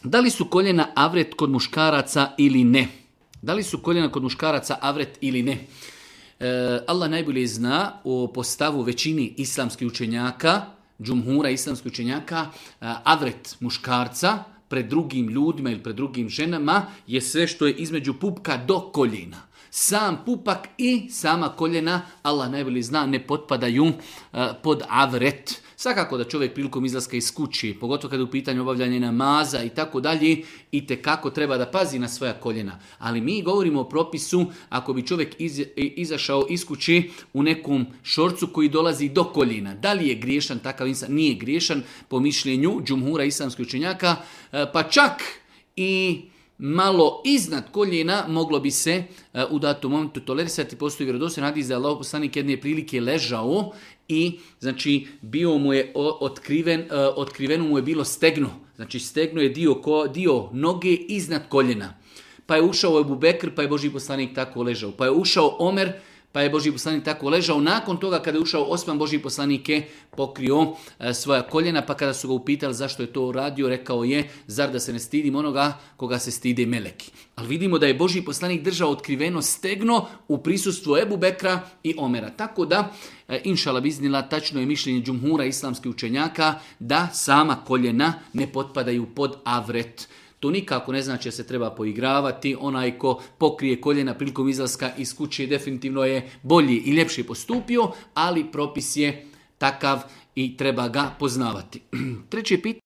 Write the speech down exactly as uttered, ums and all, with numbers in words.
Da li su koljena avret kod muškaraca ili ne? Da li su koljena kod muškaraca avret ili ne? E, Allah najbolje zna o postavu većini islamskih učenjaka, džumhura islamskih učenjaka, avret muškarca pred drugim ljudima ili pred drugim ženama je sve što je između pupka do koljena. Sam pupak i sama koljena, Allah najbolje zna, ne potpadaju uh, pod avret. Svakako da čovjek prilikom izlaska iz kući, pogotovo kada je u pitanju obavljanje namaza i tako dalje, itekako treba da pazi na svoja koljena. Ali mi govorimo o propisu ako bi čovjek iz, izašao iz kući u nekom šorcu koji dolazi do koljena. Da li je griješan takav insan? Nije griješan po mišljenju džumhura islamskih učenjaka, pa čak i malo iznad koljena moglo bi se uh, u datom momentu tolerisati. Postoji vjerodostojan hadis da je Allahov poslanik jedne prilike ležao i znači bio mu je otkriven, uh, otkriveno mu je bilo stegno. Znači stegno je dio, ko, dio noge iznad koljena. Pa je ušao Ebu Bekr, pa je Božji poslanik tako ležao. Pa je ušao Omer, pa je Božji poslanik tako ležao. Nakon toga kada je ušao Osman, Božji poslanik je pokrio e, svoja koljena, pa kada su ga upitali zašto je to uradio, rekao je, zar da se ne stidim onoga koga se stide meleki. Ali vidimo da je Božji poslanik držao otkriveno stegno u prisustvu Ebu Bekra i Omera. Tako da, e, inšala biznila, tačno je mišljenje džumhura islamskih učenjaka da sama koljena ne potpadaju pod avret. To nikako ne znači da se treba poigravati. Onaj ko pokrije koljena prilikom izlaska iz kuće definitivno je bolji i ljepši postupio, ali propis je takav i treba ga poznavati. Treće pitanje.